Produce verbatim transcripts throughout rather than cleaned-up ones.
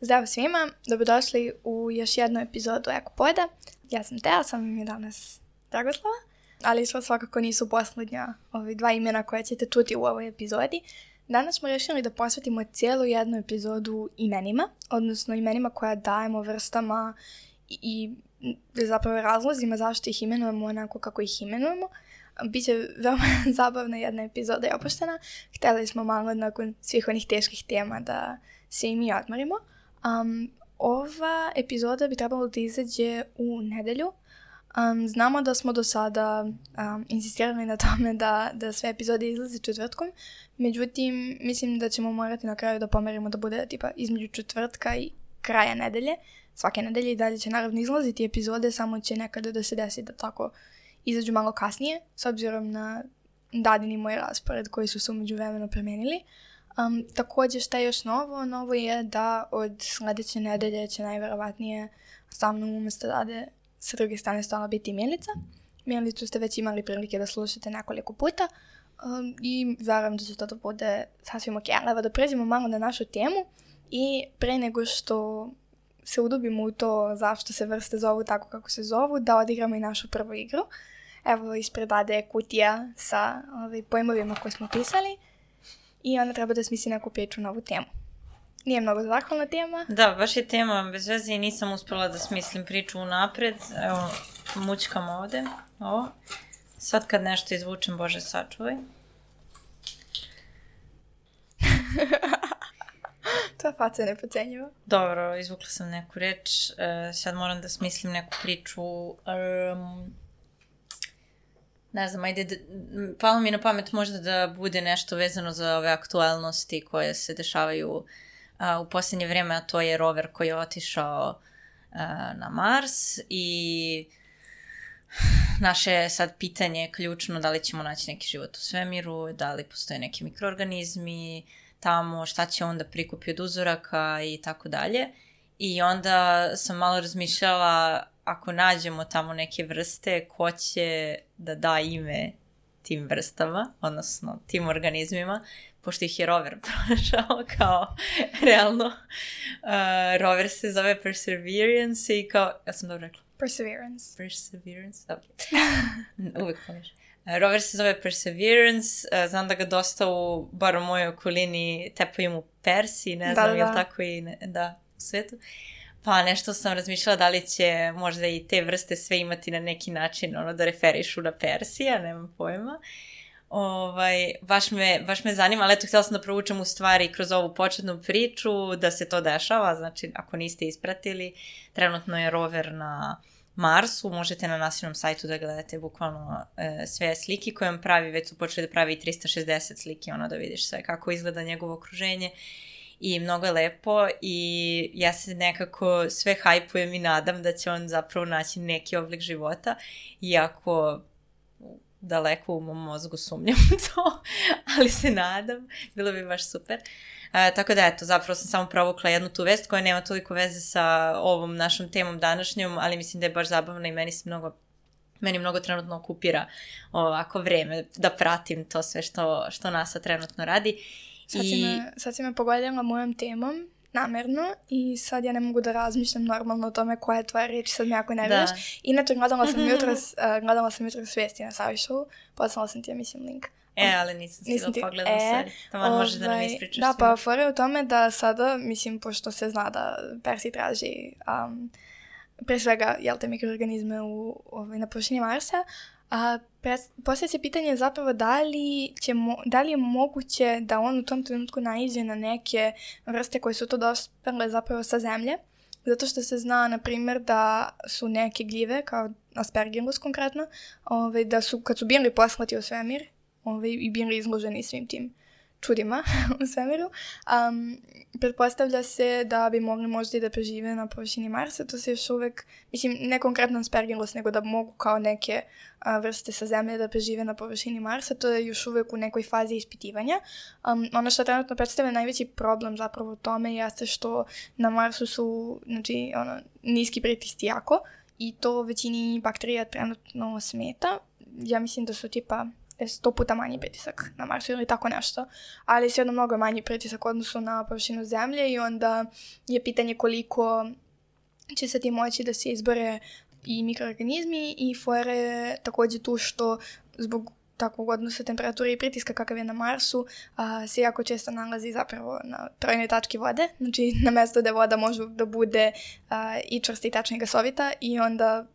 Zdravo svima, dobrodošli u još jednu epizodu Ekopoda. Ja sam Tea, sam mi danas Dragoslava, ali što svakako nisu posljednja ovi dva imena koje ćete čuti u ovoj epizodi. Danas smo rješili da posvetimo cijelu jednu epizodu imenima, odnosno imenima koja dajemo vrstama i, i zapravo razlozima zašto ih imenujemo onako kako ih imenujemo. Biće veoma zabavna jedna epizoda i opuštena. Htjeli smo malo nakon svih onih teških tema da se i mi odmorimo. Um, ova epizoda bi trebalo da izađe u nedelju. Um, znamo da smo do sada um, insistirali na tome da, da sve epizode izlaze četvrtkom. Međutim, mislim da ćemo morati na kraju da pomerimo da bude tipa između četvrtka i kraja nedelje. Svake nedelje i dalje će naravno izlaziti epizode, samo će nekada da se desi da tako izađu malo kasnije, s obzirom na dadini moj raspored koji su se umeđu vremenu promijenili. Um, također šta je još novo? Novo je da od sljedeće nedelje će najvjerovatnije sa mnom umjesto Dade sa druge strane stala biti Milica. Milicu ste već imali prilike da slušate nekoliko puta um, i vjerujem da će to da bude sasvim ok. Ali da pređemo malo na našu temu i pre nego što se udubimo u to zašto se vrste zovu tako kako se zovu, da odigramo i našu prvu igru. Evo ispred Dade je kutija sa ovaj, pojmovima koje smo pisali i onda treba da smisli neku priču na ovu temu. Nije mnogo zahvalna tema. Da, baš je tema bez veze i nisam uspjela da smislim priču unapred. Evo, mučkam ovdje. Ovo. Sad kad nešto izvučem, Bože sačuvaj. Tvoja faca je nepocenjiva. Dobro, izvukla sam neku reč. Uh, sad moram da smislim neku priču. Um, ne znam, ajde, d- palo mi na pamet možda da bude nešto vezano za ove aktualnosti koje se dešavaju uh, u posljednje vrijeme, a to je rover koji je otišao uh, na Mars i naše je sad pitanje ključno da li ćemo naći neki život u svemiru, da li postoje neki mikroorganizmi tamo, šta će onda prikupi od uzoraka i tako dalje. I onda sam malo razmišljala, ako nađemo tamo neke vrste, ko će da da ime tim vrstama, odnosno tim organizmima, pošto ih je rover pronašao kao realno. Uh, rover se zove Perseverance i kao, ja sam dobro rekla? Perseverance. Perseverance, ok. Uvijek pomiješ. Rover se zove Perseverance, uh, znam da ga dosta u, bar u mojoj okolini, tepaju mu Persi, ne znam, da, je li tako i ne, da, u svijetu. Pa nešto sam razmišljala da li će možda i te vrste sve imati na neki način, ono da referišu na Persija, nemam pojma. Ovaj, baš, me, baš me zanima, ali eto, htjela sam da provučem u stvari kroz ovu početnu priču da se to dešava, znači ako niste ispratili, trenutno je rover na Marsu, možete na nacionalnom sajtu da gledate bukvalno e, sve slike koje on pravi, već su počeli da pravi i trista šezdeset slike, ono da vidiš sve kako izgleda njegovo okruženje i mnogo je lepo i ja se nekako sve hajpujem i nadam da će on zapravo naći neki oblik života, iako daleko u mom mozgu sumnjam to, ali se nadam, bilo bi baš super. E, tako da eto, zapravo sam samo provukla jednu tu vest koja nema toliko veze sa ovom našom temom današnjom, ali mislim da je baš zabavna i meni se mnogo, meni mnogo trenutno okupira ovako vreme da pratim to sve što, što NASA trenutno radi. Sad si, I... me, sad si me pogodila mojom temom, namjerno, i sad ja ne mogu da razmišljam normalno o tome koja je tvoja riječ, sad mi jako nerviraš. Inače, gledala sam jutros, uh, gledala sam jutros vijesti na Savišovu, poslala sam ti, ja mislim, link. E, ali nisam stigla ti... pogledam e, sad. Tamo ovaj, možeš da nam ispričaš. Da, pa fora je u tome da sada, mislim, pošto se zna da Persi traži um, pre svega, jel te, mikroorganizme u, ovaj, na površini Marsa, a poslije se pitanje zapravo da li, će mo, da li je moguće da on u tom trenutku naiđe na neke vrste koje su to dospele zapravo sa zemlje, zato što se zna, na primjer, da su neke gljive, kao Aspergillus konkretno, ovaj, da su, kad su bili poslati u svemir, ovaj, i bili izloženi svim tim čudima u svemiru, um, pretpostavlja se da bi mogli možda i da prežive na površini Marsa. To se još uvek, mislim, ne konkretno Aspergillus, nego da mogu kao neke a, vrste sa zemlje da prežive na površini Marsa. To je još uvek u nekoj fazi ispitivanja. Um, ono što trenutno predstavlja najveći problem zapravo u tome jeste što na Marsu su, znači, ono, niski pritisci jako i to većini bakterija trenutno smeta. Ja mislim da su tipa je sto puta manji pritisak na Marsu ili tako nešto, ali svejedno mnogo je manji pritisak u odnosu na površinu Zemlje i onda je pitanje koliko će se ti moći da se izbore i mikroorganizmi i fora je također tu što zbog takvog odnosa temperature i pritiska kakav je na Marsu a, se jako često nalazi zapravo na trojnoj tački vode, znači na mjesto gdje voda može da bude a, i čvrsta i tačna i gasovita i onda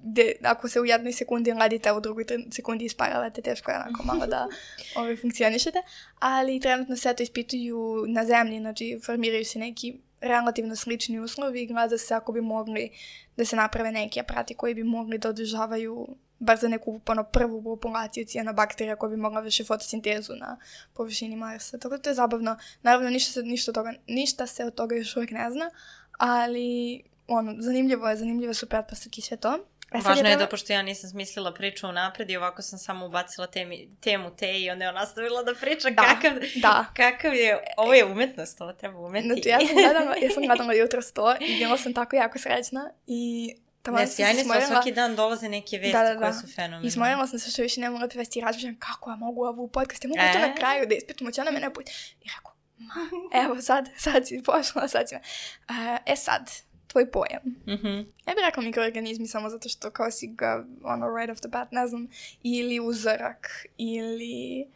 de, ako se u jednoj sekundi ladite, a u drugoj sekundi isparavate, teško je onako malo da ove, funkcionišete, ali trenutno se to ispituju na Zemlji, znači formiraju se neki relativno slični uslovi i gleda se ako bi mogli da se naprave neki aparati koji bi mogli da održavaju bar za neku ono, prvu populaciju cijanobakterija koja bi mogla vrši fotosintezu na površini Marsa. Tako da to je zabavno. Naravno, ništa se, ništa, toga, ništa se od toga još uvijek ne zna, ali ono, zanimljivo je, zanimljivo su pretpostavke i sve to. E, Važno je treba... da, pošto ja nisam smislila priču unapred i ovako sam samo ubacila temi, temu te i onda je ona nastavila da priča da, kakav, da. kakav je, ovo je umetnost, ovo treba umeti. Znači, ja sam gledala, ja sam gledala jutros to i bila sam tako jako srećna i ne, sjajni smo, svaki dan dolaze neke vesti da, da, da. koje su fenomenalne. I smorila sam se što više ne mogu da vesti i razmišljam kako ja mogu ovu podcast, ja mogu e? to na kraju da ispitamo, će ona mene put. I rekao, ma, evo sad, sad si pošla, sad si me. Uh, e sad, tvoj pojam. Mm-hmm. Ja bih rekla mikroorganizmi samo zato što kao si ga, ono, right off the bat, ne znam, ili uzorak, ili...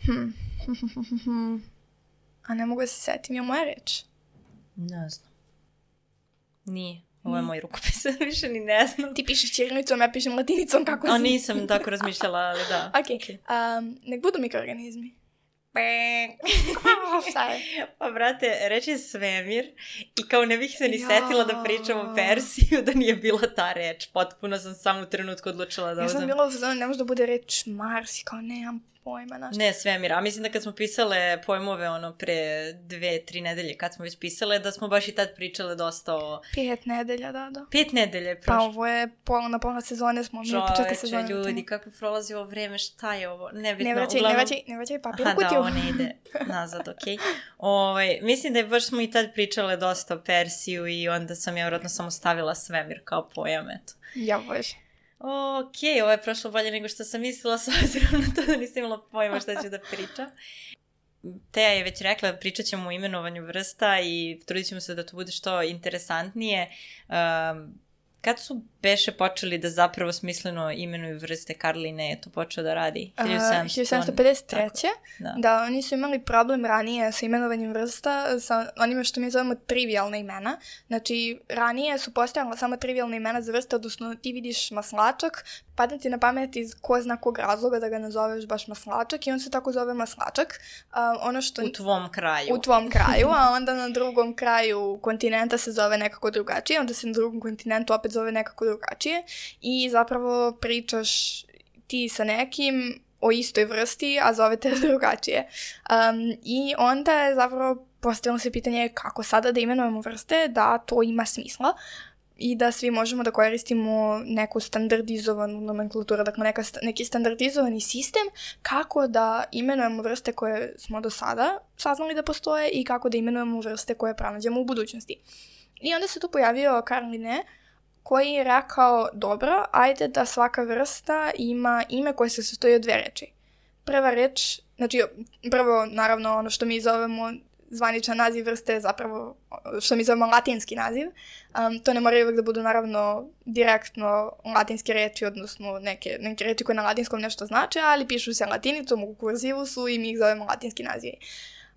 Hm. A ne mogu da se setim, je moja reč? Ne znam. Nije. Ovo je moj rukopis, više ni ne znam. Ti pišeš ćirilicom, ja pišem latinicom, kako si? A nisam tako razmišljala, ali da. Ok, okay. um, nek budu mikroorganizmi. Šta je? Pa, brate, reći svemir i kao ne bih se ni ja. setila da pričam o Persiju da nije bila ta reč. Potpuno sam samo u trenutku odlučila da... Ja sam bila u zonu, ne može da bude reč Mars i kao nemam pojma naš. Ne, svemir. A mislim da kad smo pisale pojmove ono pre dve, tri nedelje, kad smo već pisale, da smo baš i tad pričale dosta o... Pet nedelja, da, da. Pet nedelje prošlo. Pa ovo je pola na pola sezone smo. Čoveče, ljudi, kako prolazi ovo vreme, šta je ovo? Nebitno. Ne vraćaj, uglavnom... ne vraćaj, ne vraćaj papir u kutiju. Aha, da, ovo ne ide nazad, okej. Okay. Ovaj, mislim da je baš smo i tad pričale dosta o Persiju i onda sam ja vjerojatno samo stavila svemir kao pojam, eto. Ja bože. Ok, ovo je prošlo bolje nego što sam mislila, s obzirom na to da nisam imala pojma šta ću da pričam. Teja je već rekla, pričat ćemo o imenovanju vrsta i trudit ćemo se da to bude što interesantnije. Um, kad su beše počeli da zapravo smisleno imenuju vrste, Karline je to počeo da radi? hiljadu sedamsto pedeset treće Da. da, oni su imali problem ranije sa imenovanjem vrsta, sa onima što mi zovemo trivialna imena. Znači, ranije su postojala samo trivialna imena za vrste, odnosno ti vidiš maslačak, padne ti na pamet iz ko zna kog razloga da ga nazoveš baš maslačak i on se tako zove maslačak. Uh, ono što... U tvom kraju. U tvom kraju, a onda na drugom kraju kontinenta se zove nekako drugačije, onda se na drugom kontinentu opet zove nekako drugačije i zapravo pričaš ti sa nekim o istoj vrsti, a zovete drugačije. Um, I onda je zapravo postavilo se pitanje kako sada da imenujemo vrste, da to ima smisla i da svi možemo da koristimo neku standardizovanu nomenklaturu, dakle neka, neki standardizovani sistem kako da imenujemo vrste koje smo do sada saznali da postoje i kako da imenujemo vrste koje pronađemo u budućnosti. I onda se tu pojavio Carl Linné, koji je rekao, dobro, ajde da svaka vrsta ima ime koje se sastoji od dve reči. Prva reč, znači prvo, naravno, ono što mi zovemo zvaničan naziv vrste je zapravo, što mi zovemo latinski naziv. Um, to ne moraju uvijek da budu, naravno, direktno latinske reči, odnosno neke, neke reči koje na latinskom nešto znače, ali pišu se latinicom, u kurzivu su i mi ih zovemo latinski nazivi.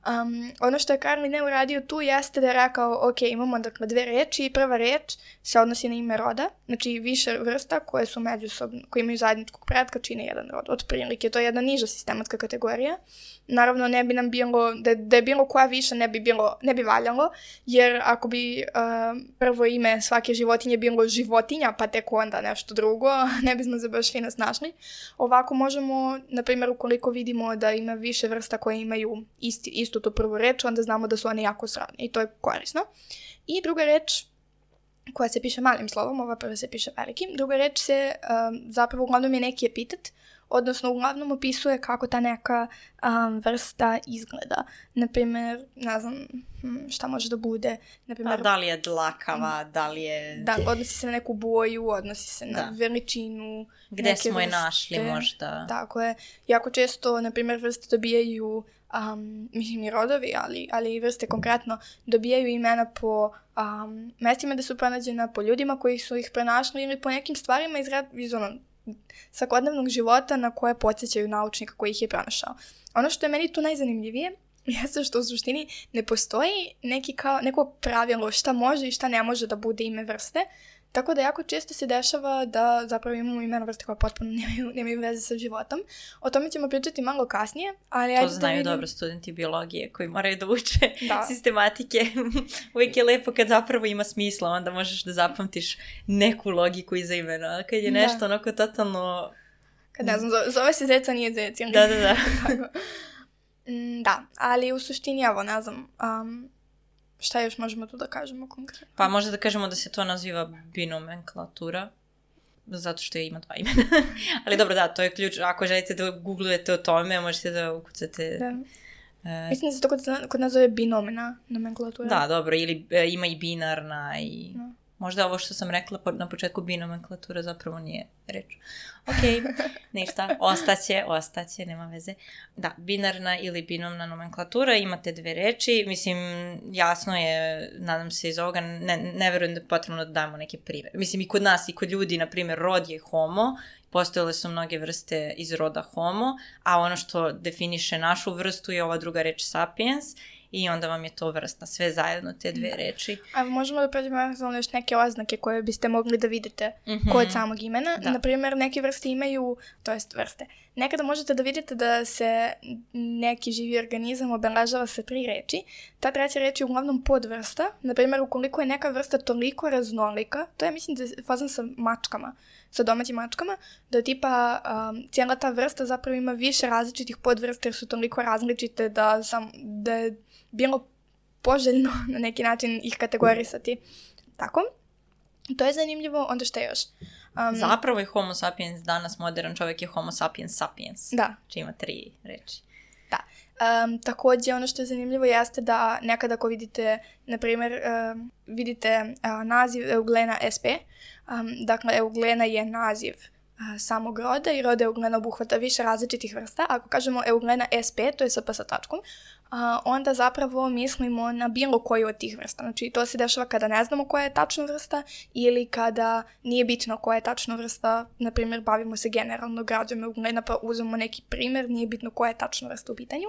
Um, ono što je Carl Linné uradio tu jeste da je rekao, ok, imamo dakle dve reči i prva reč se odnosi na ime roda, znači više vrsta koje su međusobno, koje imaju zajedničkog pretka čine jedan rod, otprilike, to je jedna niža sistematska kategorija. Naravno ne bi nam bilo, da, da je bilo koja više ne bi bilo, ne bi valjalo, jer ako bi uh, prvo ime svake životinje bilo životinja, pa tek onda nešto drugo, ne bismo se baš fino snašli. Ovako možemo, na primjer, ukoliko vidimo da ima više vrsta koje imaju isti, istu tu prvu reč, onda znamo da su one jako srodne i to je korisno. I druga reč koja se piše malim slovom, ova prva se piše velikim, druga reč se um, zapravo uglavnom je neki epitet, odnosno uglavnom opisuje kako ta neka um, vrsta izgleda. Naprimjer, ne znam šta može da bude. Naprimjer, pa da li je dlakava, da li je... Da, odnosi se na neku boju, odnosi se na da. veličinu. Gde smo je našli možda. Tako je. Jako često, naprimjer, vrste dobijaju, um, mislim i rodovi, ali, ali i vrste konkretno, dobijaju imena po um, mestima gde su pronađena, po ljudima koji su ih pronašli ili po nekim stvarima iz, iz ono, svakodnevnog života na koje podsjećaju naučnika koji ih je pronašao. Ono što je meni tu najzanimljivije jeste što u suštini ne postoji neki kao, neko pravilo šta može i šta ne može da bude ime vrste, tako da jako često se dešava da zapravo imamo imena vrste koje potpuno nemaju, nemaju veze sa životom. O tome ćemo pričati malo kasnije. Ali to znaju da vidim... dobro studenti biologije koji moraju da uče da. sistematike. Uvijek je lepo kad zapravo ima smisla, onda možeš da zapamtiš neku logiku iza imena. A kad je nešto da. onako totalno... Kad ne znam, zove se zeca, nije zec. Da, da, da. Da, ali u suštini, evo, ne znam, um, šta još možemo tu da kažemo konkretno? Pa možda da kažemo da se to naziva binomenklatura, zato što je ima dva imena. Ali dobro, da, to je ključ. Ako želite da googlujete o tome, možete da ukucate... Da. Uh, Mislim da se to kod, kod nas zove binomena nomenklatura. Da, dobro, ili e, ima i binarna i... No. Možda ovo što sam rekla na početku binomenklatura zapravo nije reč. Ok, ništa, ostaće, ostaće, nema veze. Da, binarna ili binomna nomenklatura, imate dve reči. Mislim, jasno je, nadam se iz ovoga, ne, ne verujem da je potrebno da damo neke primjere. Mislim, i kod nas i kod ljudi, na primjer, rod je homo, postojale su mnoge vrste iz roda homo, a ono što definiše našu vrstu je ova druga reč sapiens, i onda vam je to vrsta, sve zajedno, te dve reči. A možemo da pređemo za još neke oznake koje biste mogli da vidite mm-hmm. kod samog imena. Da. Naprimjer, neke vrste imaju, to jest vrste, nekada možete da vidite da se neki živi organizam obeležava sa tri reči. Ta treća reč je uglavnom podvrsta. Naprimjer, ukoliko je neka vrsta toliko raznolika, to je mislim da je fazan sa mačkama, sa domaćim mačkama, da tipa um, cijela ta vrsta zapravo ima više različitih podvrsta jer su toliko različite da, sam, da je bilo poželjno na neki način ih kategorisati. Tako. To je zanimljivo. Onda šta još? Um, Zapravo je homo sapiens danas modern čovjek je homo sapiens sapiens. Da. Či ima tri reči. Da. Um, također ono što je zanimljivo jeste da nekada ako vidite, na primjer, um, vidite uh, naziv Euglena sp. Um, dakle, Euglena je naziv uh, samog roda i roda Euglena obuhvata više različitih vrsta. Ako kažemo Euglena sp, to je sp sa tačkom, Uh, onda zapravo mislimo na bilo koju od tih vrsta. Znači, to se dešava kada ne znamo koja je tačna vrsta ili kada nije bitno koja je tačna vrsta. Naprimjer, bavimo se generalno građom Euglena pa uzmemo neki primjer, nije bitno koja je tačna vrsta u pitanju.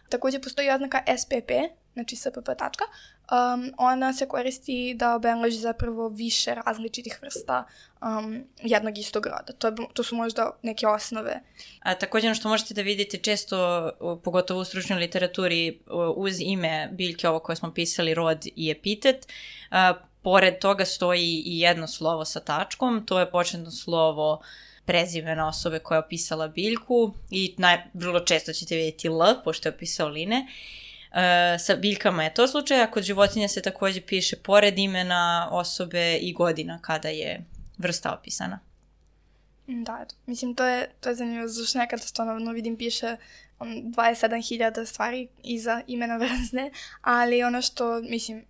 Također postoji oznaka S P P, znači S P P tačka. Um, ona se koristi da obeleži zapravo više različitih vrsta um, jednog istog roda. To, je, to su možda neke osnove. A, također ono što možete da vidite često, pogotovo u stručnoj literaturi, uz ime biljke ovo koje smo pisali, rod i epitet, a, pored toga stoji i jedno slovo sa tačkom, to je početno slovo prezimena osobe koja je opisala biljku i naj, vrlo često ćete vidjeti L, pošto je opisao Line. Uh, sa biljkama je to slučaj, a kod životinja se također piše pored imena osobe i godina kada je vrsta opisana. Da, eto. Mislim, to je, to je zanimljivo, zašto nekada stvarno vidim piše um, dvadeset sedam hiljada stvari iza imena vrste, ali ono što, mislim,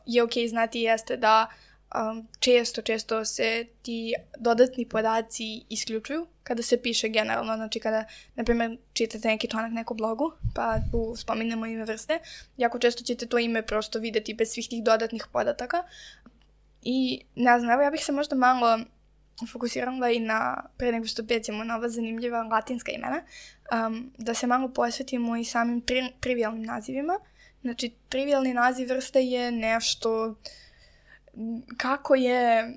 je okej okay znati jeste da um, često, često se ti dodatni podaci isključuju kada se piše generalno, znači kada, na primjer, čitate neki članak neku blogu, pa tu spominjemo ime vrste, jako često ćete to ime prosto vidjeti bez svih tih dodatnih podataka. I, ne znam, evo ja bih se možda malo fokusirala i na, pre nego što pećemo na ova zanimljiva latinska imena, um, da se malo posvetimo i samim tri, trivialnim nazivima. Znači, trivialni naziv vrste je nešto kako je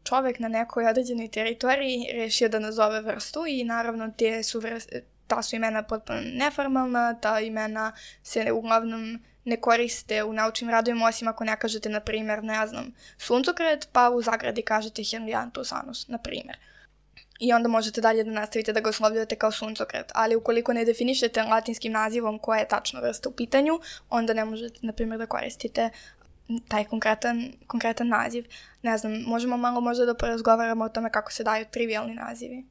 čovjek na nekoj određenoj teritoriji rešio da nazove vrstu i naravno te su vrste, ta su imena potpuno neformalna, ta imena se uglavnom ne koriste u naučnim radovima, osim ako ne kažete, na primjer, ne znam, suncokret, pa u zagradi kažete Helianthus anus, na primjer. I onda možete dalje da nastavite da ga oslovljavate kao suncokret. Ali ukoliko ne definišete latinskim nazivom koja je tačna vrsta u pitanju, onda ne možete, na primjer, da koristite taj konkretan, konkretan naziv. Ne znam, možemo malo možda da porazgovaramo o tome kako se daju trivialni nazivi.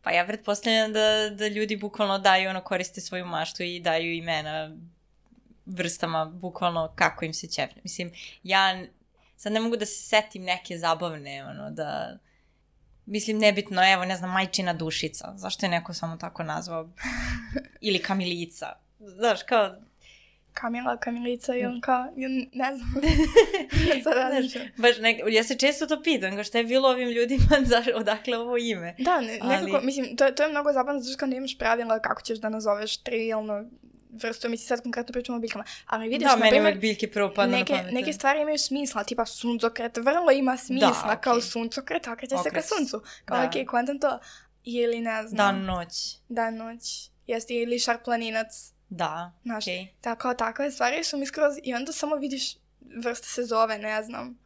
Pa ja pretpostavljam da, da ljudi bukvalno daju, ono, koriste svoju maštu i daju imena vrstama, bukvalno kako im se ćefne. Mislim, ja sad ne mogu da se setim neke zabavne, ono, da... Mislim, nebitno, evo, ne znam, majčina dušica. Zašto je neko samo tako nazvao? Ili Kamilica. Znaš, kao... Kamila, Kamilica i on kao, ne znam. Sad različam. Baš nek... Ja se često to pitam, kao šta je bilo ovim ljudima, odakle ovo ime. Da, ne, nekako, ali... mislim, to, to je mnogo zabavno, zato što nemaš pravila kako ćeš da nazoveš trivialno vrstu, mislim, sad konkretno pričamo o biljkama, ali vidiš, da, na primjer, uvek biljke prvo padne neke, na pamet. Neke stvari imaju smisla, tipa suncokret, vrlo ima smisla, da, okay. Kao suncokret, okreće se ka suncu, kao ok, kvantam to, ili ne znam. Dan, noć. Dan, noć, jeste, ili šar planinac. Da, znaš, okay. Tako, takve stvari su mi skroz, i onda samo vidiš vrsta se zove, ne znam.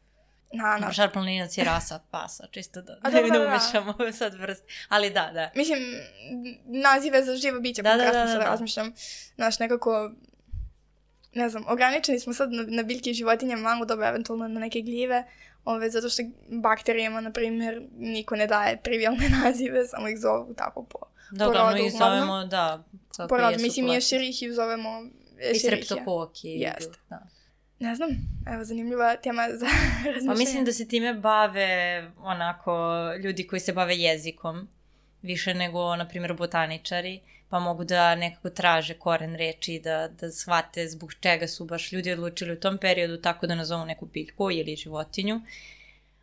Na, na. Šar planinac je rasa pasa, čisto da, da, da, da, da da umešamo sad vrst, ali da, da. Mislim, nazive za živo biće, da, konkretno da, da, sad da. razmišljam, znaš, nekako, ne znam, ograničeni smo sad na, na biljke i životinje, malo dobro, eventualno na neke gljive, ove, zato što bakterijama, na primjer, niko ne daje trivialne nazive, samo ih zovu tako po da, porodu. Da, uglavnom ih zovemo, da, kako porodu, jesu. Mislim, i šerih ih zovemo i streptokoki. Jeste. Da. Ne znam, evo, zanimljiva tema za razmišljanje. Pa mislim da se time bave, onako, ljudi koji se bave jezikom, više nego, na primjer, botaničari, pa mogu da nekako traže koren reči, da, da shvate zbog čega su baš ljudi odlučili u tom periodu tako da nazovu neku biljku ili životinju.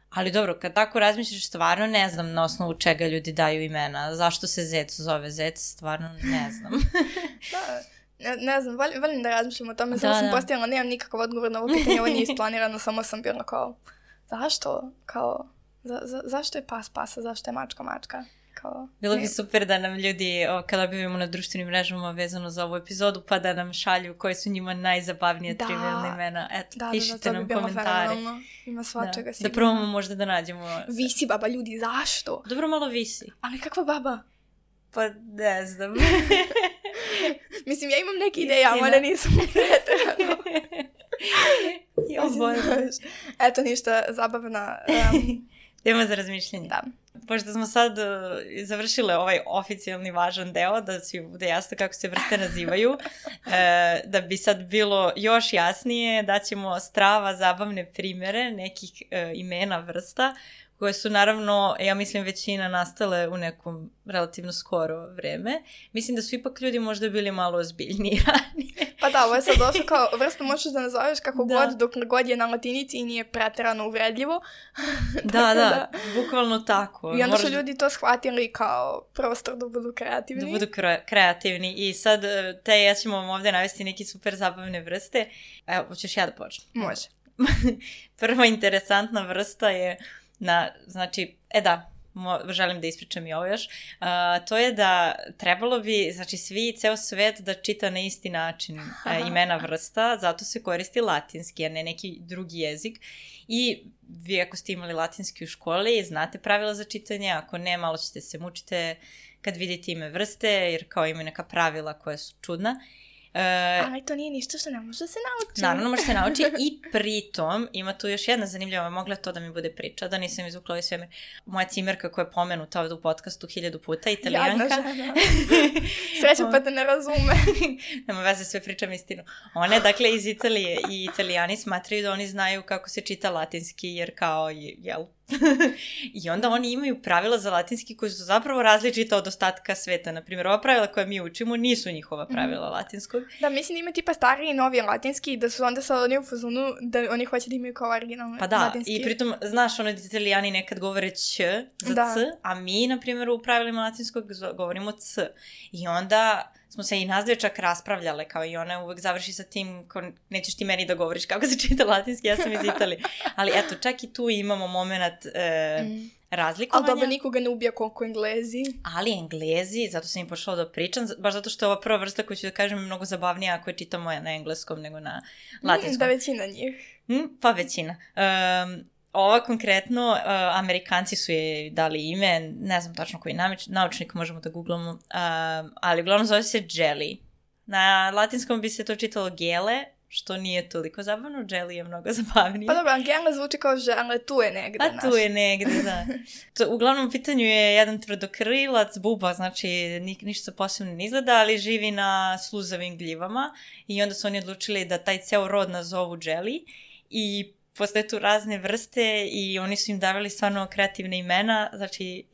Ali dobro, kad tako razmišljaš, stvarno ne znam na osnovu čega ljudi daju imena. Zašto se zec zove zec, stvarno ne znam. Da, ne, ne znam, volim, volim da razmišljam o tome, samo sam postavila, nemam nikakav odgovor na ovo pitanje, ovo nije isplanirano, samo sam bila kao, zašto, kao, za, za, zašto je pas pasa, zašto je mačka mačka? Kao, bilo bi super da nam ljudi, o, kada objavimo na društvenim mrežama vezano za ovu epizodu, pa da nam šalju koje su njima najzabavnije da, trivialne imena. Eto, da, pišite da, da, nam komentare. Ima svačega da, da probamo možda da nađemo. Visi baba, ljudi, zašto? Dobro, malo visi. Ali kakva baba? Pa ne znam. Mislim, ja imam neke ideje, ali ne nisam pretrano. Eto, ništa zabavna. Um, Tema za razmišljanje. Da. Pošto smo sad uh, završile ovaj oficijalni važan deo, da svi bude jasno kako se vrste nazivaju, uh, da bi sad bilo još jasnije, daćemo strava zabavne primjere nekih uh, imena vrsta, koje su naravno, ja mislim, većina nastale u nekom relativno skoro vreme. Mislim da su ipak ljudi možda bili malo ozbiljniji ranije. Pa da, ovo je sad došlo kao vrstu možeš da nazoveš kako da. god, dok god je na latinici i nije preterano uvredljivo. da, da, da, bukvalno tako. I onda Moraš... su ljudi to shvatili kao prostor da budu kreativni. Da budu kre- kreativni i sad te ja ćemo vam ovdje navesti neke super zabavne vrste. Evo, hoćeš ja da počnem? Može. Prva interesantna vrsta je na, znači, e da, mo, želim da ispričam i ovo još, uh, to je da trebalo bi, znači, svi, ceo svet da čita na isti način uh, imena vrsta, zato se koristi latinski, a ne neki drugi jezik. I vi ako ste imali latinski u školi, znate pravila za čitanje, ako ne, malo ćete se mučite kad vidite ime vrste, jer kao imaju neka pravila koja su čudna. Uh, Ali to nije ništa što ne može se nauči. Naravno, može se nauči i pritom ima tu još jedna zanimljiva, mogla to da mi bude priča, da nisam izvukla ovaj svemir. Moja cimerka koja je pomenuta ovdje u podcastu hiljadu puta, Italijanka. Jadna žena. Sreća pa da ne razume. Nema veze, sve pričam istinu. Ona je dakle iz Italije i Italijani smatraju da oni znaju kako se čita latinski, jer kao, jel? I onda oni imaju pravila za latinski koji su zapravo različita od ostatka sveta. Naprimjer, ova pravila koja mi učimo nisu njihova pravila mm. latinskog. Da, mislim da ima tipa stariji i novi latinski, da su onda sad oni u fazonu da oni hoće da imaju kao originalno pa da, latinski. I pritom, znaš, ono Italijani nekad govore ć za da. c, a mi, na primjer, u pravilima latinskog govorimo c. I onda smo se i nas dve čak raspravljale, kao i ona uvek završi sa tim, ko nećeš ti meni da govoriš kako se čita latinski, ja sam iz Italije. Ali eto, čak i tu imamo moment e, mm. razlikovanja. Ali dobro, nikoga ne ubija koliko Englezi. Ali Englezi, zato sam im počela da pričam, baš zato što je ova prva vrsta koju ću da kažem je mnogo zabavnija ako je čitamo na engleskom nego na latinskom. Da, većina njih. Mm, pa većina. Um, Ova konkretno, uh, Amerikanci su je dali ime, ne znam tačno koji namič, naučnik, možemo da googlamo, uh, ali uglavnom zove se jelly. Na latinskom bi se to čitalo gele, što nije toliko zabavno, jelly je mnogo zabavnije. Pa dobro, Angela zvuči kao žele, tu je negde. A tu je negde, da. To, uglavnom u pitanju je jedan tvrdokrilac, buba, znači ni, ništa posebno ne izgleda, ali živi na sluzavim gljivama i onda su oni odlučili da taj ceo rod nazovu jelly i postoje tu razne vrste i oni su im davali stvarno kreativne imena, znači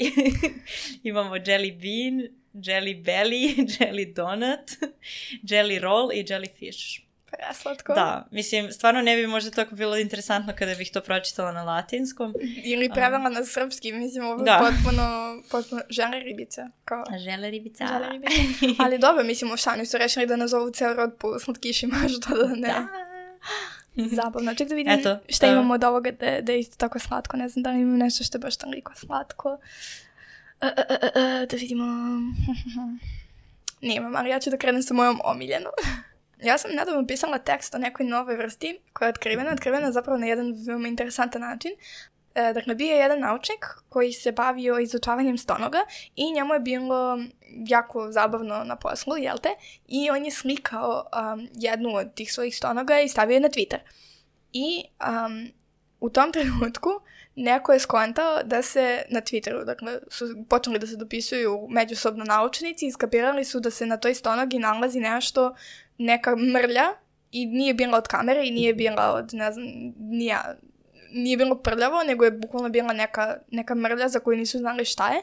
imamo jelly bean, jelly belly, jelly donut, jelly roll i jellyfish. Preslatko. Da, mislim, stvarno ne bi možda tako bilo interesantno kada bih to pročitala na latinskom. Ili prevela um, na srpski, mislim, ovo je da. potpuno, potpuno žele ribica. Kao... Žele ribica. Žele ribica. Ali dobro, mislim, u Šani su rešili da nazovu ceo rod po slatkišima, što da ne. Da. Zabavno. Ček da vidim Eto, šta uh, imamo od ovoga da, da je isto tako slatko. Ne znam da li imam nešto što je baš toliko slatko. Uh, uh, uh, uh, da vidimo... Nemam, ali ja ću da krenem sa mojom omiljenom. Ja sam nedavno pisala tekst o nekoj novoj vrsti koja je otkrivena. Otkrivena zapravo na jedan veoma interesantan način. E, dakle, bio je jedan naučnik koji se bavio izučavanjem stonoga i njemu je bilo jako zabavno na poslu, jel te? I on je slikao um, jednu od tih svojih stonoga i stavio je na Twitter. I um, u tom trenutku neko je skontao da se na Twitteru, dakle, su počeli da se dopisuju međusobno naučnici i skapirali su da se na toj stonogi nalazi nešto, neka mrlja i nije bila od kamere i nije bila od, ne znam, nije, nije bilo prljavo, nego je bukvalno bila neka, neka mrlja za koju nisu znali šta je.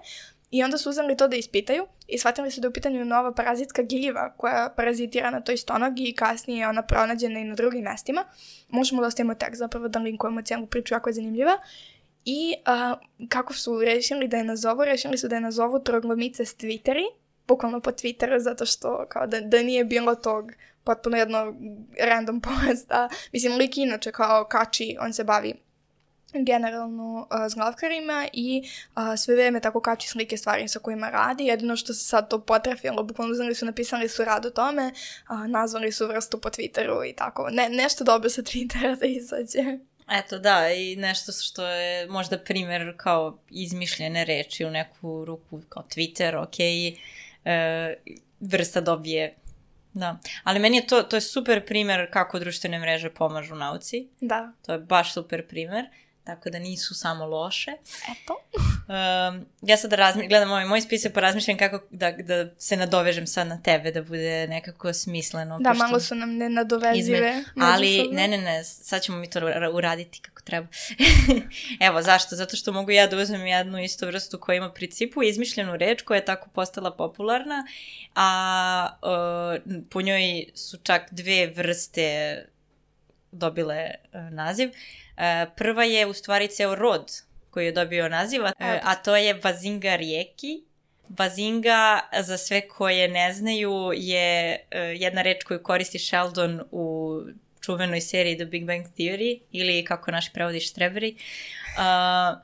I onda su uzeli to da ispitaju i shvatili su da je u pitanju nova parazitska gljiva koja parazitira na toj stonogi i kasnije je ona pronađena i na drugim mestima. Možemo da ostavimo tekst zapravo da linkujemo cijelu priču, jako je zanimljiva. I uh, kako su rešili da je nazovu? Rešili su da je nazovu troglomice s Twitteri, bukvalno po Twitteru, zato što kao da, da nije bilo tog potpuno jedno random posta. Mislim, lik inače kao kači, on se bavi generalno uh, s glavkarima i uh, sve vreme tako kači slike stvari sa kojima radi. Jedino što se sad to potrefilo, bukvalno uzeli su, napisali su rad o tome, uh, nazvali su vrstu po Twitteru i tako. Ne, nešto dobro sa Twittera da izađe. Eto, da, i nešto što je možda primjer kao izmišljene reči u neku ruku, kao Twitter, ok, e, vrsta dobije, da. Ali meni je to, to je super primjer kako društvene mreže pomažu nauci. Da. To je baš super primjer. Tako da nisu samo loše. Eto. Um, ja sad razmi- gledam ovaj moj spisak pa razmišljam kako da, da se nadovežem sad na tebe, da bude nekako smisleno. Da, malo su nam nenadovezive. Izme... Ali, ne, ne, ne, sad ćemo mi to uraditi kako treba. Evo, zašto? Zato što mogu ja da uzmem jednu istu vrstu koja ima principu izmišljenu reč koja je tako postala popularna, a uh, po njoj su čak dve vrste dobile uh, naziv. Uh, prva je u stvari ceo rod koji je dobio naziv, uh, a to je Bazinga rijeki. Bazinga, za sve koje ne znaju, je uh, jedna reč koju koristi Sheldon u čuvenoj seriji The Big Bang Theory, ili kako naš prevodi štreberi. Uh,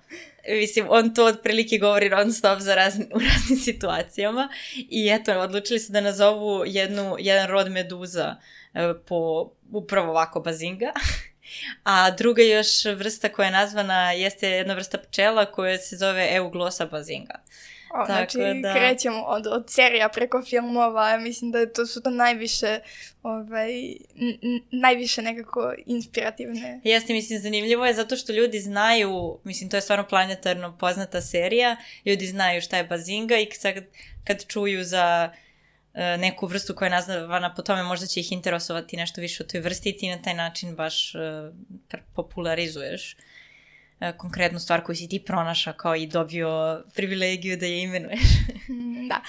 mislim, on to otprilike govori non stop za razni, u raznim situacijama i eto, odlučili su da nazovu jednu, jedan rod meduza uh, po upravo ovako Bazinga. A druga još vrsta koja je nazvana jeste jedna vrsta pčela koja se zove Euglossa bazinga. O, znači, da... krećemo od, od serija preko filmova, mislim da to su to najviše, ovaj, n- najviše nekako inspirativne. Jeste, mislim, zanimljivo je zato što ljudi znaju, mislim, to je stvarno planetarno poznata serija, ljudi znaju šta je bazinga i sad kad čuju za neku vrstu koja je nazvana po tome, možda će ih interesovati nešto više o toj vrsti i ti na taj način baš uh, popularizuješ uh, konkretnu stvar koju si ti pronašao kao i dobio privilegiju da je imenuješ. Da.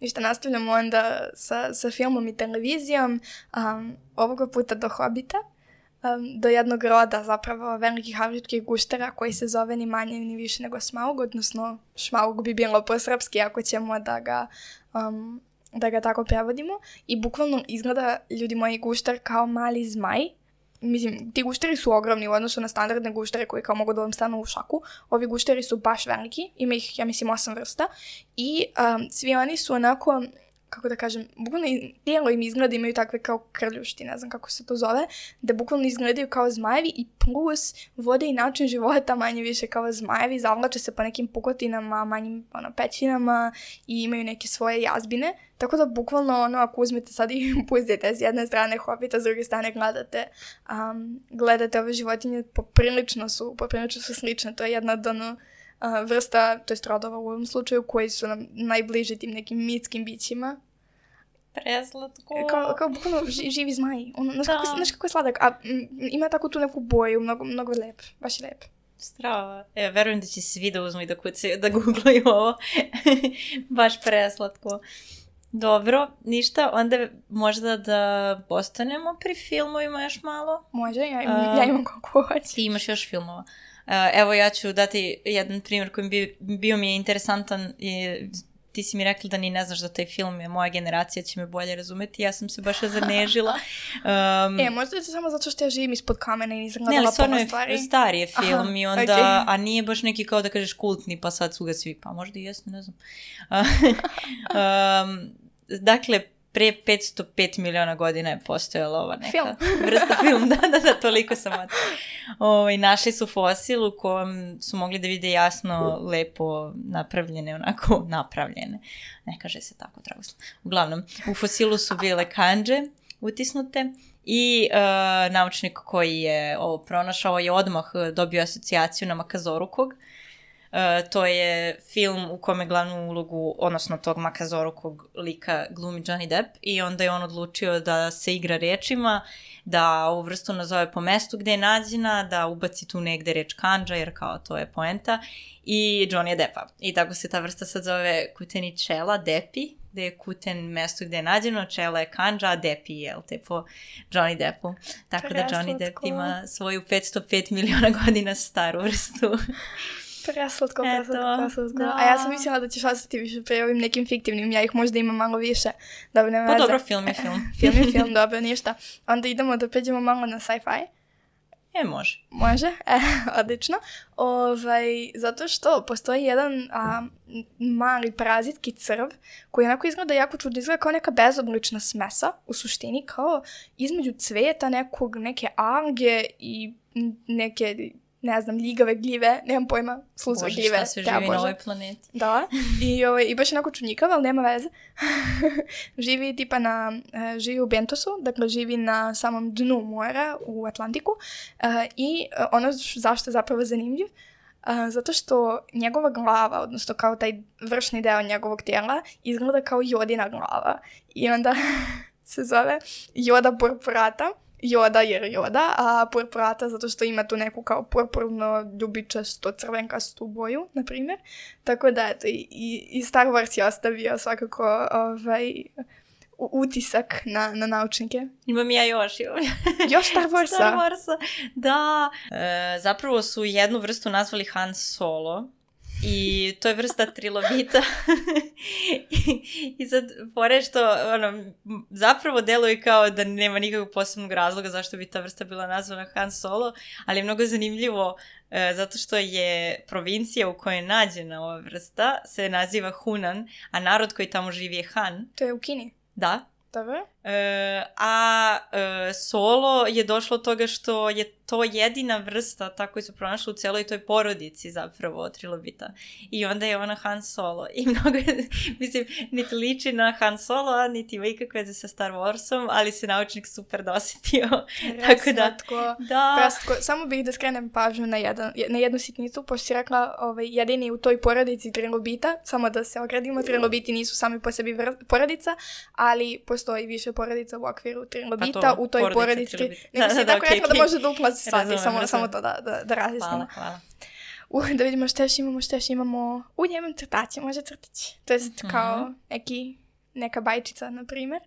Ništa, nastavljamo onda sa, sa filmom i televizijom, um, ovoga puta do Hobita, um, do jednog roda zapravo velikih afričkih guštera koji se zove ni manje ni više nego Smaug, odnosno Šmaug bi bilo po srpski ako ćemo da ga um, da ga tako prevodimo i bukvalno izgleda, ljudi moji, gušter kao mali zmaj. Mislim, ti gušteri su ogromni u odnosu na standardne guštere koji kao mogu da vam stanu u šaku. Ovi gušteri su baš veliki, ima ih, ja mislim, osam vrsta i um, svi oni su onako kako da kažem, bukvalno tijelo im izgleda, imaju takve kao krljušti, ne znam kako se to zove, da bukvalno izgledaju kao zmajevi i plus vode i način života manje više kao zmajevi, zavlače se po nekim pukotinama, manjim ono, pećinama i imaju neke svoje jazbine, tako da bukvalno ono, ako uzmete sad i pustite s jedne strane Hobita, s druge strane gledate, um, gledate ove životinje, poprilično su, poprilično su slične, to je jedna od ono, Uh, vrsta, to je rodova u ovom slučaju, koji su nam najbliži tim nekim mitskim bićima. Preslatko. Kao, kao bukvalno ži, živi zmaji. Ono, znaš, kako, znaš kako je sladak, a m, ima tako tu neku boju, mnogo, mnogo lep, baš je lep. Strava. E, verujem da će svi da uzmu i da kucaju, da googlaju ovo. Baš preslatko. Dobro, ništa, onda možda da postanemo pri filmovima još malo. Može, ja imam, uh, ja imam koliko hoće. Ti imaš još filmova. Uh, evo ja ću dati jedan primjer koji bi bio mi je interesantan i ti si mi rekla da ni ne znaš da taj film je, moja generacija će me bolje razumeti, ja sam se baš zanežila. Um, e, možda je to samo zato što ja živim ispod kamena i nisam gledala puno stvari. Ne, ali stari je film. Aha, i onda, okay. A nije baš neki kao da kažeš kultni pa sad su ga svi, pa možda i jesu, ne znam. um, dakle, pre petsto pet miliona godina je postojala ova neka film. vrsta film. Da, da, da, toliko sam od... O, našli su fosil u kojem su mogli da vide jasno, lepo napravljene, onako napravljene. Ne kaže se tako, dragoslov. Uglavnom, u fosilu su bile kandže utisnute i uh, naučnik koji je ovo pronašao je odmah dobio asocijaciju na Makazorukog. Uh, to je film u kome glavnu ulogu, odnosno tog Makazorukog lika glumi Johnny Depp i onda je on odlučio da se igra rečima, da ovu vrstu nazove po mestu gde je nađena, da ubaci tu negde reč kandža, jer kao to je poenta, i Johnny Deppa. I tako se ta vrsta sad zove Kuteničela, Depi, gde je Kuten mesto gde je nađeno, Čela je kandža, a Depi je, jel te, po Johnny Deppu. Tako da Johnny Depp ima svoju petsto pet miliona godina staru vrstu. Preslatko, preslatko, preslatko. Da. A ja sam mislila da ćeš ostati više pre ovim nekim fiktivnim, ja ih možda imam malo više. Dobro, nema veze. Pa dobro, film je film. Film je film, dobro, ništa. Onda idemo da pređemo malo na sci-fi. E, može. Može, e, odlično. Ovaj, zato što postoji jedan a, mali parazitki crv koji onako izgleda jako čudno, izgleda kao neka bezoblična smesa, u suštini kao između cveta nekog, neke alge i neke... ne znam, ljigave gljive, nemam pojma, slucve gljive. Bože, šta se živi na ovoj planeti. Da, i, ovaj, i baš onako čudnjikav, ali nema veze. Živi tipa na, uh, živi u Bentosu, dakle živi na samom dnu mora u Atlantiku uh, i uh, ono zašto je zapravo zanimljiv, uh, zato što njegova glava, odnosno kao taj vršni deo njegovog tijela, izgleda kao jodina glava. I onda se zove Joda purpurata. Joda jer Joda, a purpurata zato što ima tu neku kao purpurno ljubičasto crvenkastu boju, na primjer. Tako da, eto, i, i Star Wars je ostavio svakako ovaj, utisak na, na naučnike. Imam ja još. Još Star Warsa? Star Warsa, da. E, zapravo su jednu vrstu nazvali Han Solo. I to je vrsta trilobita. I, I sad, pored što, ono, zapravo deluje kao da nema nikakvog posebnog razloga zašto bi ta vrsta bila nazvana Han Solo, ali je mnogo zanimljivo e, zato što je provincija u kojoj je nađena ova vrsta se naziva Hunan, a narod koji tamo živi je Han. To je u Kini? Da. Dobro. E, a e, Solo je došlo od toga što je to jedina vrsta tako su pronašli u celoj toj porodici zapravo trilobita. I onda je ona Han Solo. I mnogo je, mislim, niti liči na Han Solo, a niti ima ikakve veze sa Star Warsom, ali se naučnik super dosetio. Tako da, da. Prastko. Samo bih da skrenem pažnju na, jedan, na jednu sitnicu, pošto si rekla ovaj, jedini u toj porodici trilobita, samo da se ogradimo, trilobiti nisu sami po sebi vr- porodica, ali postoji više porodica u okviru trilobita, to, u toj porodici. Nego si tako rekla da može da upla svati, razumem, samo, razumem. samo to da, da, da različimo. Hvala, hvala. Uh, da vidimo što još imamo, što još imamo. U, ja imam crtaće, može crtaći. To je kao mm-hmm. neki, neka bajčica, na primjer.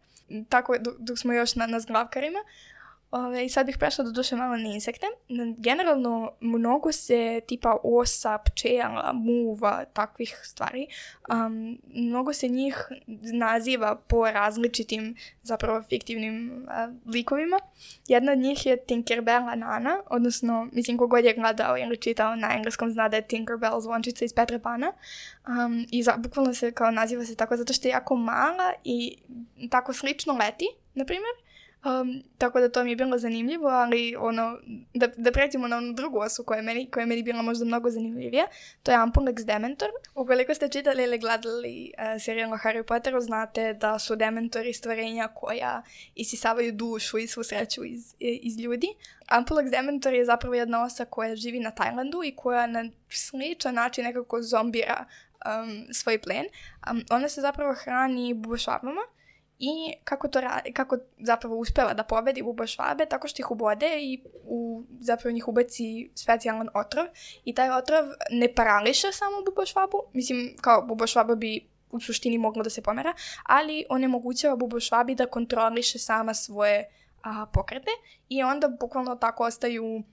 Tako, dok, dok smo još na, na zglavkarima. Ove, I sad bih prešla do duše malo na insekte. Generalno, mnogo se tipa osa, pčela, muva, takvih stvari, um, mnogo se njih naziva po različitim, zapravo fiktivnim uh, likovima. Jedna od njih je Tinkerbella Nana, odnosno, mislim, kogod je gledao ili čitao na engleskom zna da je Tinkerbell zvončica iz Petra Pana. Um, I za, bukvalno se kao naziva se tako zato što je jako mala i tako slično leti, na primjer. Um, tako da to mi je bilo zanimljivo, ali ono, da, da pređemo na onu drugu osu koja je meni, koja je meni bila možda mnogo zanimljivija, to je Ampulex Dementor. Ukoliko ste čitali ili gledali uh, serijal o Harry Potteru, znate da su Dementori stvorenja koja isisavaju dušu i svu sreću iz, iz ljudi. Ampulex Dementor je zapravo jedna osa koja živi na Tajlandu i koja na sličan način nekako zombira um, svoj plen. Um, ona se zapravo hrani bubošvabama. I kako to radi, kako zapravo uspeva da pobedi bubošvabe, tako što ih ubode i u, zapravo njih ubaci specijalan otrov. I taj otrov ne parališe samo bubošvabu, mislim kao bubošvaba bi u suštini mogla da se pomera, ali onemogućava bubošvabi da kontroliše sama svoje a, pokrete i onda bukvalno tako ostaju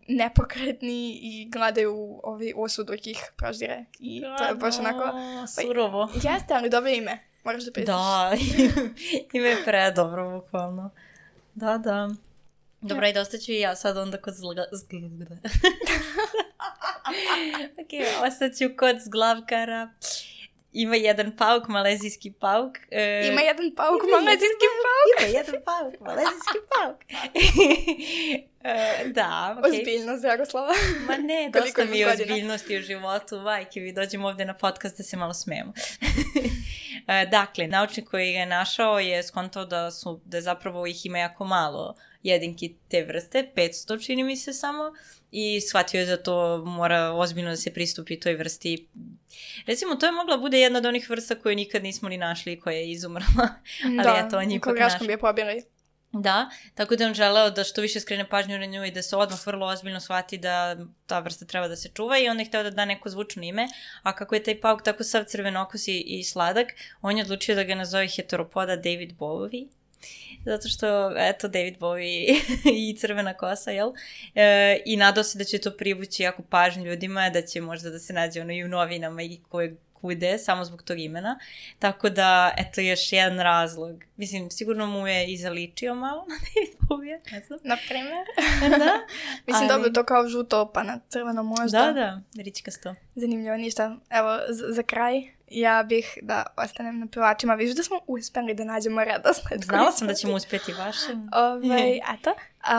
nepokretni i gledaju ovi osu dok ih proždire. I to je baš onako... Surovo. Pa, jeste, ali dobro ime. Moraš da pristiš. Da, ime je predobro, bukvalno. Da, da. Dobro, i dosta ću i ja sad onda kod zglga... ok, ostat ću kod zglavkara. Ima jedan pauk, malezijski pauk. E... Ima jedan pauk, malezijski pauk. Ima jedan pauk, malezijski pauk. e, da, okej. Okay. Ozbiljnost, Dragoslava. Ma ne, dosta mi je ozbiljnosti u životu. Majke, vi dođemo ovdje na podcast da se malo smijemo. e, dakle, naučnik koji ga je našao je skontao da, su, da zapravo ih ima jako malo jedinki te vrste, petsto čini mi se samo, i shvatio je da to mora ozbiljno da se pristupi toj vrsti. Recimo, to je mogla bude jedna od onih vrsta koje nikad nismo ni našli i koja je izumrla. Ali da, eto, on je ipak graškom bi je pobili. Da, tako da on želeo da što više skrene pažnju na nju i da se odmah vrlo ozbiljno shvati da ta vrsta treba da se čuva i onda je hteo da da neko zvučno ime, a kako je taj pauk tako sav crvenokus i, i sladak, on je odlučio da ga nazove heteropoda David Bowie. Zato što, eto, David Bowie i crvena kosa, jel? E, I nadao se da će to privući jako pažnju ljudima, da će možda da se nađe ono i u novinama i koje kude, samo zbog tog imena. Tako da, eto, još jedan razlog. Mislim, sigurno mu je i zaličio malo na David Bowie, ne znam. Na primjer. Da. Mislim, ali... dobro, to kao žuto, pa na crveno možda. Da, da, ričkasto. Zanimljivo, ništa. Evo, z- za kraj, ja bih da ostanem na pevačima. Viš da smo uspeli da nađemo redosled. Znala sam da ćemo uspjeti vašem. Ove, eto.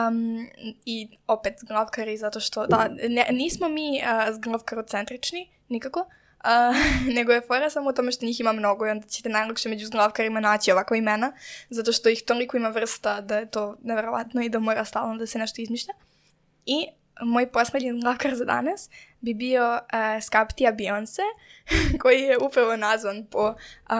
Um, I opet zglavkari, zato što, da, ne, nismo mi uh, zglavkarocentrični, nikako. Uh, nego je fora samo u tome što njih ima mnogo i onda ćete najlakše među zglavkarima naći ovako imena, zato što ih toliko ima vrsta da je to nevjerovatno i da mora stalno da se nešto izmišlja. I moj posljednji zglavkar za danas bi bio uh, Skaptija Beyoncé, koji je upravo nazvan po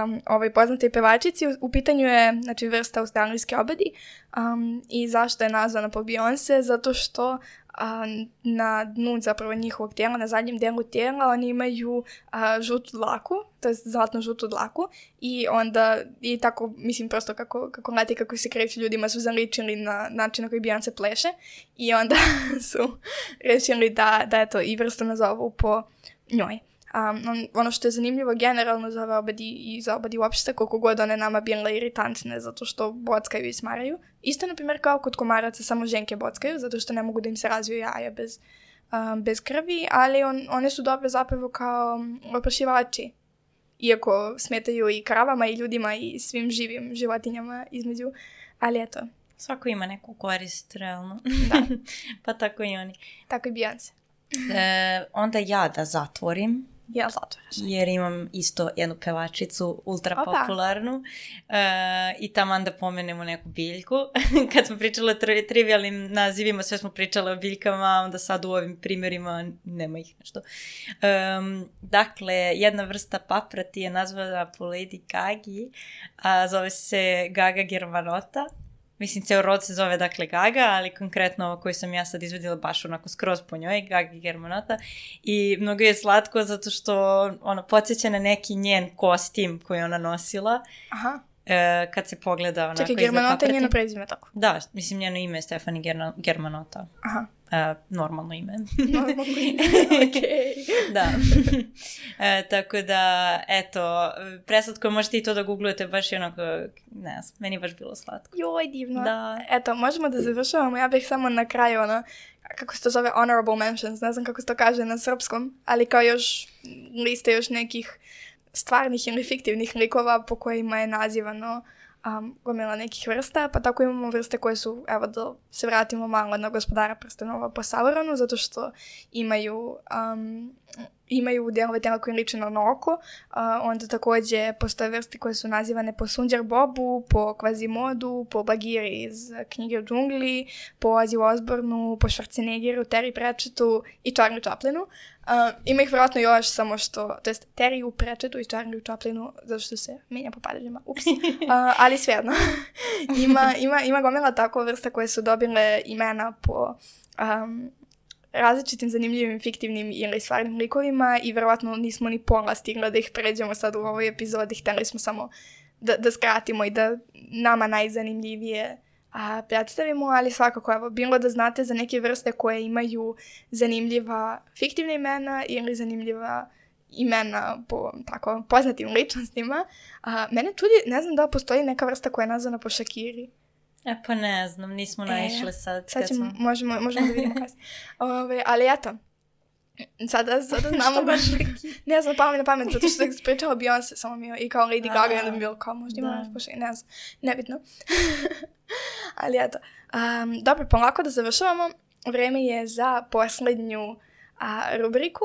um, ovoj poznatoj pevačici. U, u pitanju je, znači, vrsta australijske obadi. Um, I zašto je nazvana po Beyoncé? Zato što a, na dnu zapravo njihovog tijela, na zadnjem delu tijela, oni imaju a, žutu dlaku, to je zlatno žutu dlaku i onda, i tako, mislim, prosto kako, kako leti, kako se kreću ljudima su zaličili na način na koji Beyoncé pleše i onda su rešili da, da eto, i vrstu nazovu po njoj. Um, on, ono što je zanimljivo generalno za ove obadi i za obadi uopšte, koliko god one nama bile iritantne zato što bockaju i smaraju. Isto, na primjer, kao kod komaraca, samo ženke bockaju zato što ne mogu da im se razviju jaja bez, um, bez krvi, ali on, one su dobre zapravo kao oprašivači. Iako smetaju i kravama i ljudima i svim živim životinjama između, ali eto. Svako ima neku korist, realno. Da. Pa tako i oni. Tako i Beyoncé. E, onda ja da zatvorim. Ja zatvaraš. Jer imam isto jednu pevačicu ultra Opa. popularnu e, i taman da pomenemo neku biljku. Kad smo pričali o tri, trivialnim nazivima, sve smo pričali o biljkama, onda sad u ovim primjerima nema ih nešto. Um, dakle, jedna vrsta paprati je nazvana po Lady Gagi, a zove se Gaga germanota. Mislim, ceo rod se zove, dakle, Gaga, ali konkretno ovo koju sam ja sad izvedila baš onako skroz po njoj, Gaga germanota. I mnogo je slatko zato što ona podsjeća na neki njen kostim koji ona nosila. Aha. e, kad se pogleda onako... Čekaj, Germanota je njeno prezime tako? Da, mislim njeno ime je Stefani Gerna, Germanota. Aha. E, normalno ime. Normalno ime, okej. Da. E, tako da, eto, preslatko možete i to da googlujete, baš je onako, ne znam, meni je baš bilo slatko. Joj, divno. Da. Eto, možemo da završavamo, ja bih samo na kraju, ono, kako se to zove, honorable mentions, ne znam kako se to kaže na srpskom, ali kao još liste još nekih stvarnih ili fiktivnih likova po kojima je nazivano um, gomila nekih vrsta, pa tako imamo vrste koje su, evo da se vratimo malo na Gospodara prstenova po Sauronu, zato što imaju um, imaju delove tela koji liče na oko, uh, onda takođe postoje vrste koje su nazivane po Sunđer Bobu, po Kvazimodu, po Bagiri iz knjige o džungli, po Ozzy Osbourneu, po Schwarzeneggeru, Terry Pratchettu i Charlie Chaplinu. Uh, ima ih vjerojatno još, samo što, to jest Terry u Pratchettu i Charlie Chaplinu, zato što se menja po padežima, ups, uh, ali svejedno. ima, ima, ima gomila tako vrsta koje su dobile imena po um, različitim zanimljivim, fiktivnim ili stvarnim likovima i verovatno nismo ni pola stigla da ih pređemo sad u ovoj epizodi. Hteli smo samo da, da skratimo i da nama najzanimljivije a, predstavimo, ali svakako, evo, bilo da znate za neke vrste koje imaju zanimljiva fiktivna imena ili zanimljiva imena po tako poznatim ličnostima. A, mene čudi, ne znam da postoji neka vrsta koja je nazvana po Shakiri. E pa ne znam, nismo naišle e, sad. Sad ćemo, smo... možemo, možemo da vidimo kasnije. Ove, ali eto, sada, sada znamo baš, ne znam, palo mi na pamet, zato što sam pričala Beyoncé, samo mi je i kao Lady Gaga, i onda mi je bilo kao, možda ima nešto pošli, ne znam, nebitno. Ali eto, um, dobro, polako da završavamo, vreme je za posljednju a, rubriku,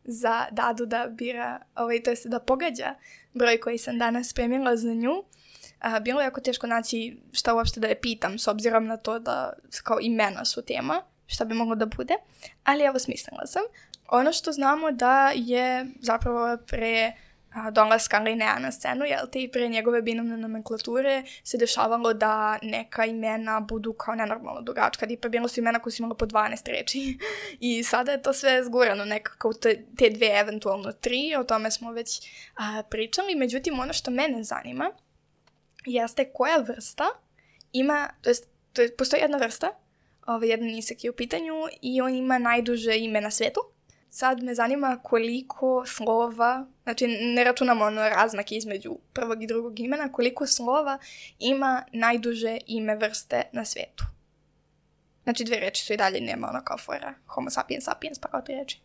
za Dadu da bira, ovaj, to jest da pogađa broj koji sam danas spremila za nju. Uh, bilo je jako teško naći šta uopšte da je pitam, s obzirom na to da kao imena su tema, šta bi moglo da bude, ali evo smislila sam. Ono što znamo da je zapravo pre uh, dolaska Linea na scenu, jel te, i pre njegove binomne nomenklature se dešavalo da neka imena budu kao nenormalno dugačka, i pa bilo su imena koje su imala po dvanaest reči i sada je to sve zgurano nekako te, te dve, eventualno tri, o tome smo već uh, pričali, međutim ono što mene zanima jeste koja vrsta ima, to jest, to jest postoji jedna vrsta, ovaj jedan nisek je u pitanju i on ima najduže ime na svetu. Sad me zanima koliko slova, znači ne računamo ono razmak između prvog i drugog imena, koliko slova ima najduže ime vrste na svetu. Znači dve reči su i dalje, nema ono kao fora homo sapiens sapiens, pa kao tri reči.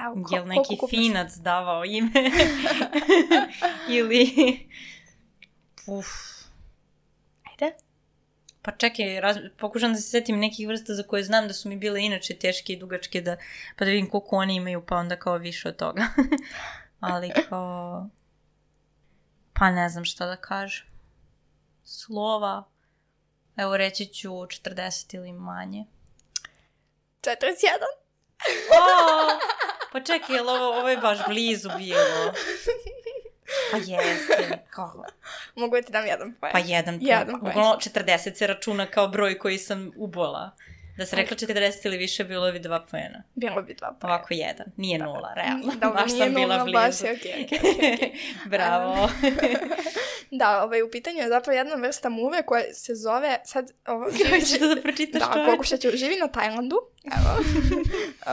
Evo, ko, Jel neki finac se davao ime? Ili... Uf. Ajde. Pa čekaj, raz... pokušam da se setim nekih vrsta za koje znam da su mi bile inače teške i dugačke, da... pa da vidim koliko oni imaju, pa onda kao više od toga. Ali kao... Pa ne znam šta da kažem. Slova. Evo reći ću četrdeset ili manje. četrdeset jedan. O, pa čekaj, ovo, ovo je baš blizu bilo. Pa jeste, kako? Mogu ti dam jedan poen. Pa jedan poen. Jedan poen. Uglavnom, četrdeset se računa kao broj koji sam ubola. Da se rekla četrdeset ili više, bilo bi dva poena. Bilo bi dva poena. Ovako jedan. Nije nula, realno. Da, baš nije sam nula, bila blizu. baš je okej, okej, okej, okej. Bravo. Da, ovaj, u pitanju je zapravo jedna vrsta muve koja se zove, sad... Ovo, Hoćeš da da pročitaš da, čovječe? pokušat ću, živi na Tajlandu, evo,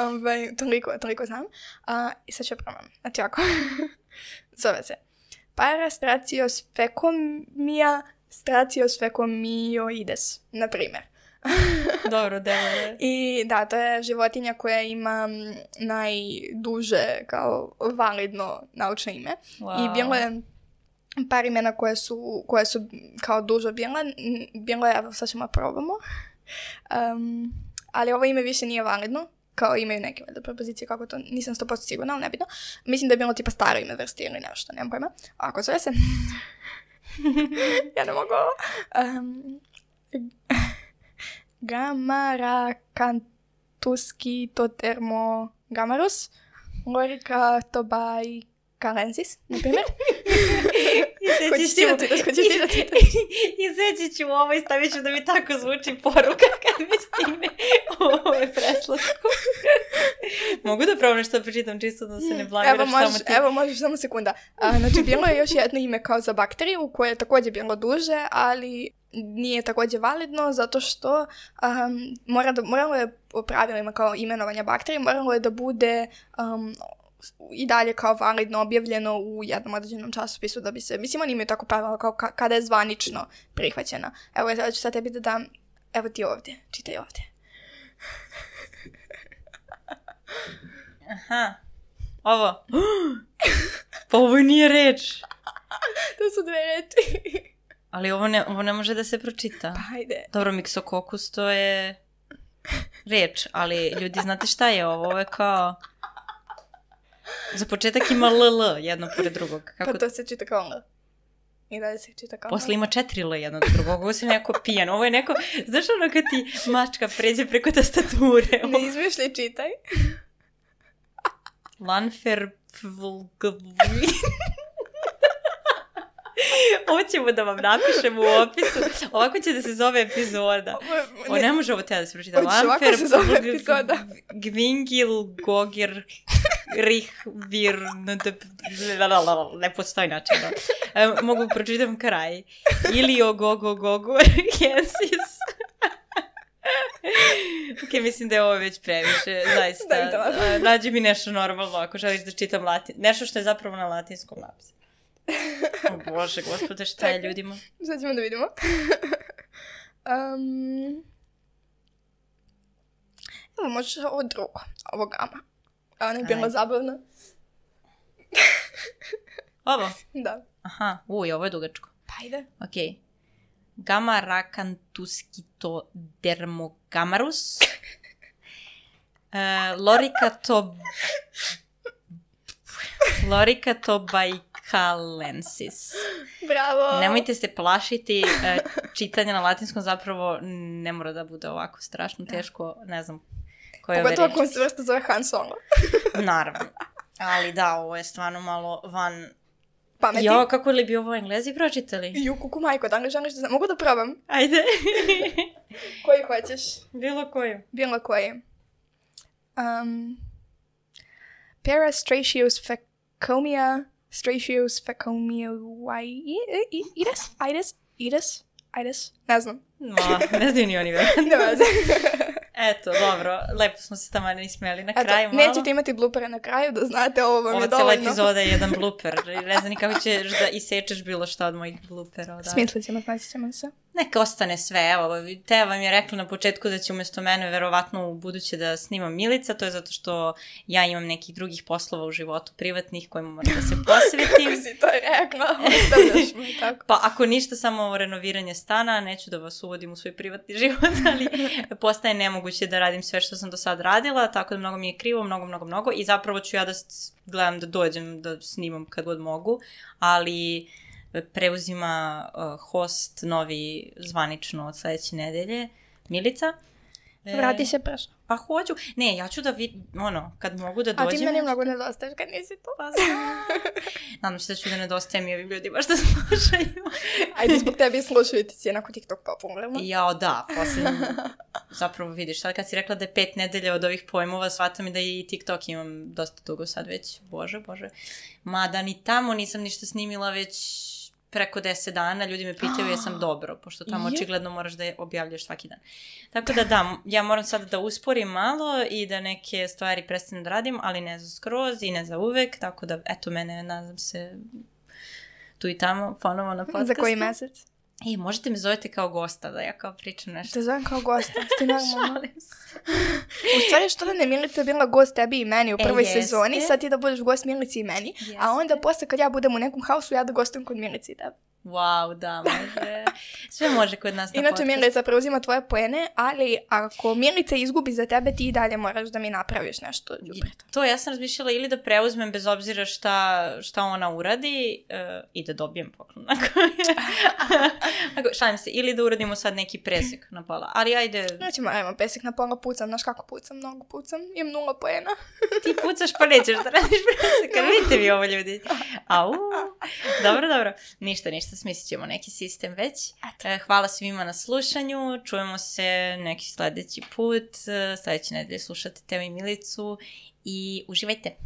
ovaj, toliko, toliko znam, uh, i sad ću probam, znači ovako, zove se Parastraciosfecomia straciosfecomioides, na primjer. Dobro, delo. I da, to je životinja koja ima najduže kao validno naučno ime. Wow. I bilo je par imena koje su, koje su kao dužo bile. Bilo je, evo sad ćemo probamo. Um, ali ovo ime više nije validno. Kao imaju neke propozicije kako to, nisam sto posto sigurna, ali nebitno. Mislim da je bilo tipa staro ime vrsti ili nešto, nemam pojma. Ako zove se... ja ne mogu ovo. Um, Gamaracantuski totermogamarus, Lorica tobaikalensis, na primjer. Hoćeš ti da čitaš, hoćeš ti da čitaš. I Izveći ću ovo i stavit ću da mi tako zvuči poruka kad mi stigne ovo je preslatko. Mogu da probam nešto da pročitam čisto da se ne blamiraš samo ti? Evo možeš, samo sekunda. A, znači, bilo je još jedno ime kao za bakteriju koje je također bilo duže, ali nije također validno zato što um, mora da, moralo je po pravilima kao imenovanja bakterije, moralo je da bude um, i dalje kao validno objavljeno u jednom određenom časopisu da bi se, mislim oni imaju tako pravila kao ka, kada je zvanično prihvaćena. Evo ja ću sad tebi da dam, evo ti ovdje, čitaj ovdje. Aha, ovo. Pa ovo nije reč. To su dve reči. Ali ovo ne, ovo ne može da se pročita. Pa ajde. Dobro, miksokokus to je reč, ali ljudi znate šta je ovo? Ovo je kao... Za početak ima L L jedno pored drugog. Kako... Pa to se čita kao L. I dalje se čita kao L. Posle ima četiri L jedno do drugog. Ovo si neko pijan. Ovo je neko... Znaš ono kad ti mačka pređe preko tastature? Ne izmišljaj, čitaj. Lanfer... Ovo ćemo da vam napišemo u opisu. Ovako će da se zove epizoda. O, ne može ovo te da se pročita. Ovako se zove epizoda. Gvingil, Gogir, Rih, Vir, ne postoji način. Mogu pročitam kraj. Ilio, Gogo, Gogo, Gensis. Ok, mislim da je ovo već previše, zaista. Nađi mi nešto normalno ako želiš da čitam latin. Nešto što je zapravo na latinskom napisu. O Bože, gospode, šta je ljudima? Sad ćemo da vidimo. um, evo, možeš ovo drugo, ovo gama. A ona je bila zabavna. Ovo? Da. Aha, uj, ovo je dugačko. Pa ide. Ok. Gamma racantusquito dermogamarus. uh, Loricato... Loricatobaikalensis. Bravo! Nemojte se plašiti, čitanje na latinskom zapravo ne mora da bude ovako strašno teško, ne znam koje ove reči. Pogotovo ako se vrsta zove Han Solo. Naravno, ali da, ovo je stvarno malo van... Pameti. Jo, kako li bi ovo Englezi pročitali? Ju, kuku majko, da li želiš da znam? Mogu da probam? Ajde. Koji hoćeš? Bilo koju. Bilo koji. Um, Parastracheus fecomia, Stracheus fecomia, ides, ides, ides, ides, ne znam. Ma, ne znam ni oni već. Ne znam. Eto, dobro, lepo smo se tamo ne ismijeli na Eto, kraju malo. Nećete imati blupere na kraju, da znate, ovo vam Ova je dovoljno. Ova cijela epizoda je jedan blooper. Ne znam ni kako ćeš da isečeš bilo šta od mojih bloopera. Smislit ćemo, znači ćemo se. Neka ostane sve, evo, Teja vam je rekla na početku da će umjesto mene verovatno u buduće da snimam Milica, to je zato što ja imam nekih drugih poslova u životu privatnih kojima moram da se posvetim. Kako si to rekla, ostavljaš mi tako. Pa ako ništa, samo renoviranje stana, neću da vas uvodim u svoj privatni život, ali postaje nemoguće da radim sve što sam do sad radila, tako da mnogo mi je krivo, mnogo, mnogo, mnogo i zapravo ću ja da gledam da dođem da snimam kad god mogu, ali preuzima uh, host novi zvanično od sljedeće nedelje, Milica. Vrati se prša. Pa hoću. Ne, ja ću da vidim, ono, kad mogu da dođem. A ti meni mnogo nedostaješ kad nisi tu. Pa znam. Nadam se da ću da nedostajem i ovim ljudima što slušaju. Ajde, zbog tebi slušaju ti si jednako TikTok popularno. Jao, da, posljedno. Zapravo vidiš, sad kad si rekla da je pet nedelja od ovih pojmova, shvatam i da i TikTok imam dosta dugo sad već. Bože, bože. Mada ni tamo nisam ništa snimila već preko deset dana, ljudi me pitaju jesam dobro, pošto tamo očigledno moraš da je objavljaš svaki dan. Tako da da, ja moram sad da usporim malo i da neke stvari prestanem da radim, ali ne za skroz i ne za uvek, tako da eto mene, nadam se, tu i tamo, ponovo na podcastu. Za koji mesec? I možete me zovete kao gosta, da ja kao pričam nešto. Te zovem kao gosta, ti normalno. U stvari što da ne Milica je bila gost tebi i meni u prvoj e, sezoni, sad ti da budeš gost Milici i meni, jeste. A onda posle kad ja budem u nekom hausu, ja da gostujem kod Milici i tebi. Wow, da, može. Sve može kod nas na Inače, podcast. Milica preuzima tvoje poene, ali ako Milica izgubi za tebe, ti i dalje moraš da mi napraviš nešto. To ja sam razmišljala ili da preuzmem bez obzira šta, šta ona uradi uh, i da dobijem poklon. Šalim se, ili da uradimo sad neki presek na pola. Ali ajde... Nećemo, ajmo, presek na pola pucam. Znaš kako pucam? Mnogo pucam. Imam nula poena. Ti pucaš pa nećeš da radiš presek. Kad vidite vi ovo ljudi. Au. Dobro, dobro. Ništa, ništa, smislit ćemo neki sistem već. Eto. Hvala svima na slušanju. Čujemo se neki sledeći put. Sledeće nedelje slušate Teo i Milicu i uživajte.